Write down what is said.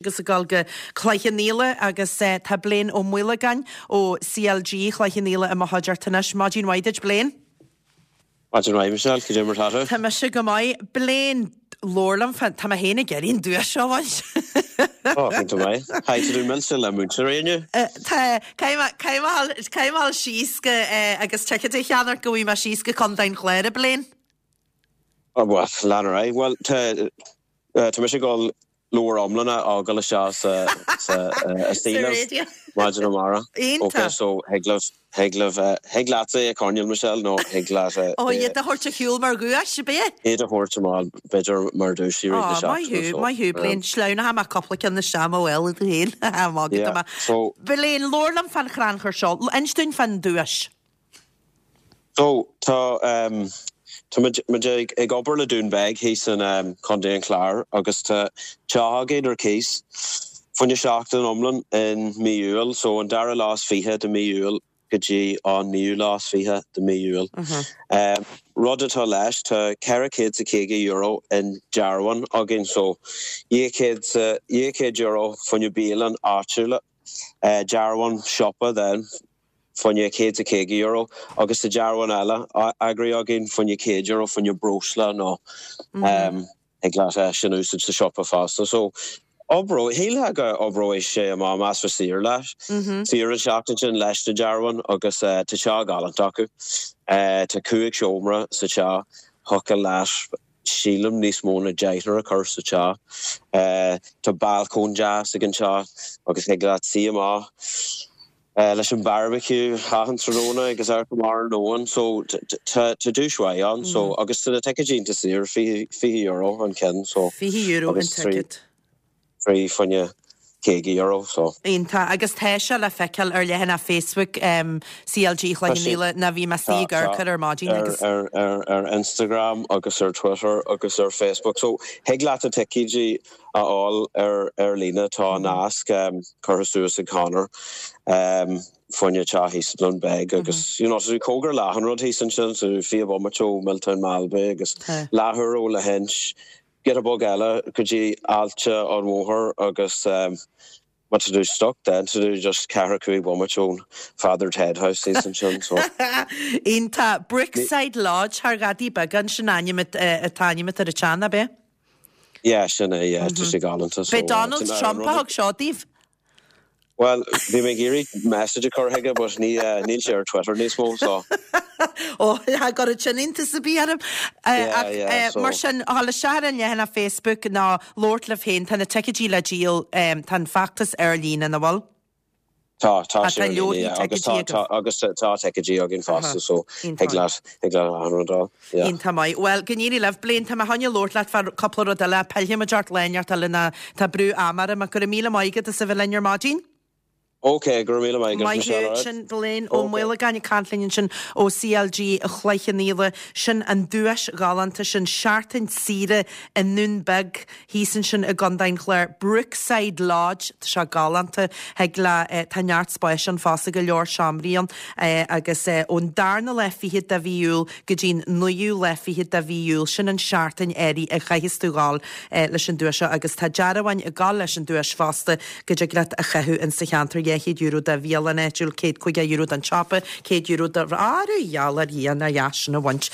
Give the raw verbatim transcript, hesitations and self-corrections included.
Agus ag dul go Cloich Cheann Fhaola agus tá Blaine Ó Maolagáin ó C L G Chloich Cheann Fhaola i mo chuideachta anois. Maidin mhaith duit, Blaine. Maidin mhaith, Michelle, cad é mar atá tú? Tá mise go maith. Blaine, labhair liom fán, tá mé féin ag iarraidh an duais seo a bhaint. Ó, iontach maith. Caithfidh tú milse le múinteoirí inniu? Tá, caithfidh mé caithfidh mé síos go agus ticéad a cheannach go bhfuil mé síos go Contae an Chláir, a Blaine. Ó, well, lean ar aghaidh. Bhuel, tá tá mise ag dul leabhar iomlán a fhágáil isteach sa sa Sa radio. Maidin amárach. Iontach. Ok, so thig libh thig libh thig leatsa é a choinneáil, Michelle, nó thig leat Ó, iad a thabhairt ar shiúl mar dhuais, ab é? Iad a thabhairt amach b'fhéidir mar duais i rith na Ó, maith seachtaine, thú, so maith thú, Blaine. Sleamhnóidh mé cúpla ceann isteach mo bhéal tú féin. Maith Yeah, mé. so Blaine, labhair liom fán chrannchur seo. Inis dúinn fán duais. So tá um, tá muid muid ag ag obair le Dún Beag thíos in um, Contae an Chláir agus tá teach againn ar cíos fá choinne seachtain iomlán in mí Iúil, so an dara lá is fiche de mí Iúil go dtí an naoú lá is fiche de mí Iúil. Um, rud atá leis, tá ceithre chéad is caoga euro in dearbháin againn, so dhá chéad dhá chéad euro fá choinne bialann áitiúla, uh, dearbhán siopa then fá choinne céad is caoga euro agus sa dearbhán eile eagraithe againn fá choinne céad euro fá choinne breosla nó um, ag leat é sin úsáid sa siopa fosta. So oibreoidh shílfeá go oibreoidh sé amach más fe saor leis. Saor an seachtain sin leis na dearbháin agus uh, tá teach galánta acu. Uh, tá cúig seomra sa teach, thiocfadh leat sílim níos mó na deichniúr a chur sa teach. Uh, tá balcóin deas ag an teach agus thig leat suí amach Uh, leis an barbecue achan tráthnóna agus ar mar nóan, so tá duais mhaith ann, so agus tá na ticéidí saor, fiche euro an ceann, so Fiche euro an agus trí ticket. trí fá choinne caoga euro, so. Iontach, agus tá sé le feiceáil ar leathanach Facebook um, C L G Tá sé Chloich Cheann Fhaola na bhí mé tá ag amharc ar maidin ar agus ar ar ar Instagram agus ar Twitter agus ar Facebook. So thig leat na ticéidí a fháil ar ar líne, tá nasc um, curtha suas ag Conor um, fá choinne teach thíos i nDún Beag agus you know, so cóngar le achan rud thíos ansin, so fiche bomaite ó Milltown Malbay agus leathuair ó Lahinch, giota beag eile go dtí Aillte an Mhothair agus um, má tá tú stuck then tá tú just ceathair cúig bomaite ón Father Ted House thíos ansin, so. Iontach. Brookside Lodge thar Ghadaí Beag sin ainm atá ainm ar an teach, ab é? Yeah, sin é, yeah, tá sé galánta, so B'é Donald uh, Trump a thug seo daoibh? Well, bhí mé ag iarraidh message a chur chuige, but ní uh, níl sé ar Twitter níos mó, so Ó go sin sa bí arm. Yeah, yeah, so Mar sin a le se an leathanach Facebook ná labhairt libh féin, tá na ticéidí le díol, tá an feachtas ar líne na bhfuil? Tá tá Tá sé ar líne, leorthaí yeah, agus ticéidí tá tá agus tá ticéidí againn fosta, so thig leat thig leat an rud a fháil, yeah. Iontach maith. Well, go n-éirí libh, Blaine, tá mé chun labhairt leat fá cúpla rud eile, pillfimid ort lá inteacht eile ná tá brú ama orm, ach go raibh míle maith agat as a bheith linn ar maidin. Ok, go raibh míle maith agat, Maith Michelle, thú, alright? sin Blaine Ó Ok. Maolagáin ag caint linn ansin ó C L G Chloich Cheann Fhaola, sin an duais ghalánta sin, seachtain saoire i nDún Beag thíos ansin i gContae an Chláir, Brookside Lodge, tá sé galánta, thig le eh, tá neart spáis ann fosta, go leor seomraí ann eh, agus eh, ón darna lá fiche de mhí Iúil go dtí'n naoú lá fiche de mhí Iúil, sin an seachtain áirithe a chaithfeas tú ghabháil eh, leis an duais seo agus tá dearbháin ag gabháil leis an duais fosta go dtig leat a chaitheamh in sa cheantar, dhá chéad euro do bhialann áitiúil, céad caoga euro don siopa, céad euro do áru gheall ar dhia na dheas sin a bhaint.